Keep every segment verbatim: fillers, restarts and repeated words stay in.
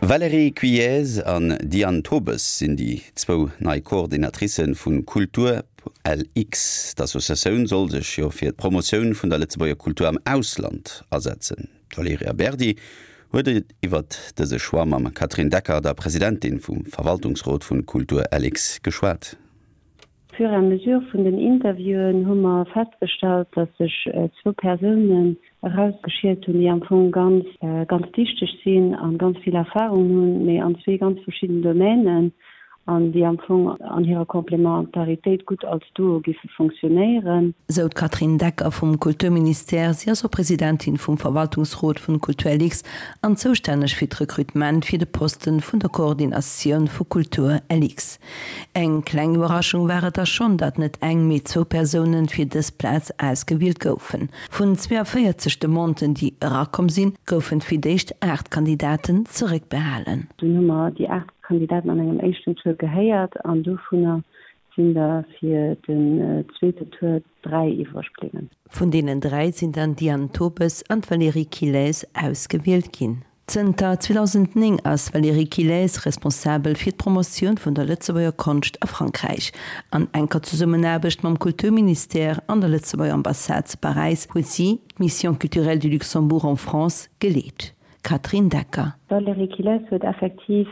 Valérie Quillez an Diane Tobes sinn déi zwou nei Coordinatricë vu Kultur LX. D'Associatioun soll sech jo fir d'Promotioun vun der Lëtzebuerger Kultur am Ausland asetzen. D'Valerija Berdi huet iwwer dëse Choix mam Catherine Decker, der Presidentin vum Verwaltungsrot vun Kultur LX geschwat. Fur et à mesure vun den Interviewen hu mer festgestallt, dass sech zwou Persounen erausgeschielt hunn, déi am Fong ganz, ganz dichteg sinn an ganz vill Erfahrung hunn, mee an zwee ganz verschiddenen Domänen an déi am Fong an hirer Komplementaritéit gutt als Duo giffe funktionéieren. Sou d'Catherine Decker vum Kulturministère. Si ass och Presidentin vum Verwaltungsrot vun Kulturlx an zoustänneg fir d'Rekrutement fir de Posten vun der Koordinatioun vu Kultur LX. Eng kleng Iwwerraschung war et da schonn, datt net eng, mee zwou Persounen fir dës Plaz ausgewielt goufen. Vun zweeënvéierzeg Demanden, déi erakomm sinn, goufen fir d'éischt aacht Kandidaten zeréckbehalen. Dunn hu mer déi aacht Kandidaten an engem éischten Tour gehéiert an dovunner sinn der fir den zweeten Tour dräi iwwreg bliwwen. Vun deenen dräi sinn dann d'Diane Tobes an d'Valérie Quilez ausgewielt ginn. Zënter zweedausendnéng ass d'Valérie Quilez responsabel fir d'Promotioun vun der Lëtzebuerger Konscht a Frankräich. An enker Zesummenaarbecht mam Kulturministère an der Lëtzebuerger Ambassade zu Paräis huet si d'Mission culturelle du Luxembourg en France geleet. Catherine Decker. D'Valérie Quilez huet effektiv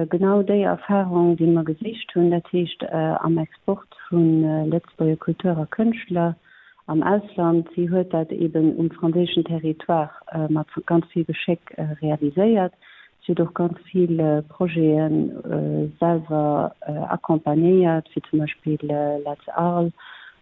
genau déi Erfahrung, déi mer gesicht hunn, dat heescht am Export vu Lëtzebuerger Kultur a Kënschtler am Ausland. Si huet dat eben um franséischen Territoire mat ganz vill Geschéck realiséiert. Si huet och ganz vill Projete selwer accompagnéiert, wéi zum Beispill Let's Arles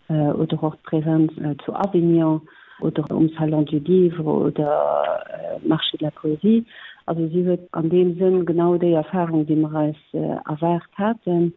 oder och d'Präsenz zu Avignon oder um Salon du Livre oder Marché de la Poésie. Also si huet an deem Sënn genau déi Erfahrung, déi mer eis erwaart haten.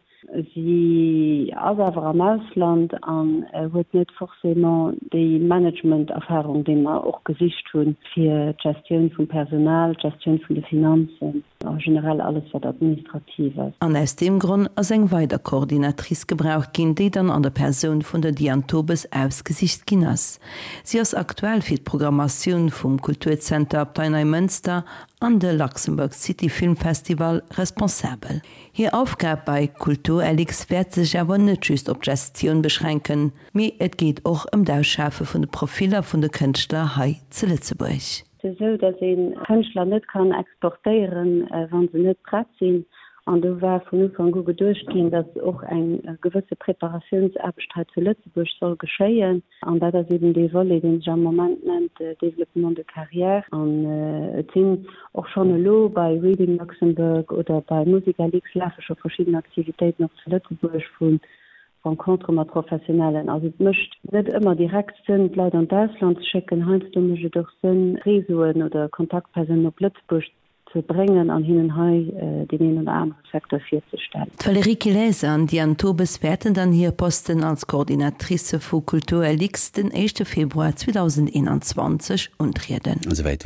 Si ass awer am Ausland an huet net forcément déi Management-Erfahrung, déi mer och gesicht hunn, fir d'Gestioun vum Personal, d'Gestioun vun de Finanzen a generell alles, wat administrativ ass. An aus deem Gronn ass eng weider Coordinatrice gebraucht ginn, déi dann an der Persoun vun der Diane Tobes ausgesicht ginn ass. Si ass aktuell fir d'Programmatioun vum Kulturzenter Abtei Neimënster an de Luxembourg City Film Festival responsabel. Hir Aufgab bei Kultur L X wäert sech awer net just op d'Gestioun beschränken, mee et geet och ëm d'Ausschafe vun de Profiller vun de Kënschtler hei zu Lëtzebuerg. Et ass esou, datt ee Kënschtler net kann exportéieren, wa se net prett sinn. An do war vun Ufank u geduecht ginn, datt och eng gewësse Preparatiounsaarbecht hei zu Lëtzebuerg soll geschéien. An dat ass eben dee Volet, dee sech am Moment nennt Développement de carrière. An et sinn och schonn elo bei Reading Luxembourg oder bei MusicaLux lafe scho verschidden Aktivitéiten och zu Lëtzebuerg vu Rencontere mat Professionellen. Also et mécht net ëmmer direkt Sënn, d'Leit an d'Ausland ze schécken. Heiansdo mécht et och Sënn, Réseauen oder Kontaktpersounen op Lëtzebuerg ze bréngen an hinnen hei deen een oder anere Secteur virzestellen. D'Valérie Quilez an d'Diane Tobes wäerten dann hir Posten als Coordinatricë vu Kultur L X den éischte Februar zweedausendeenanzwanzeg untrieden. Esouwäit.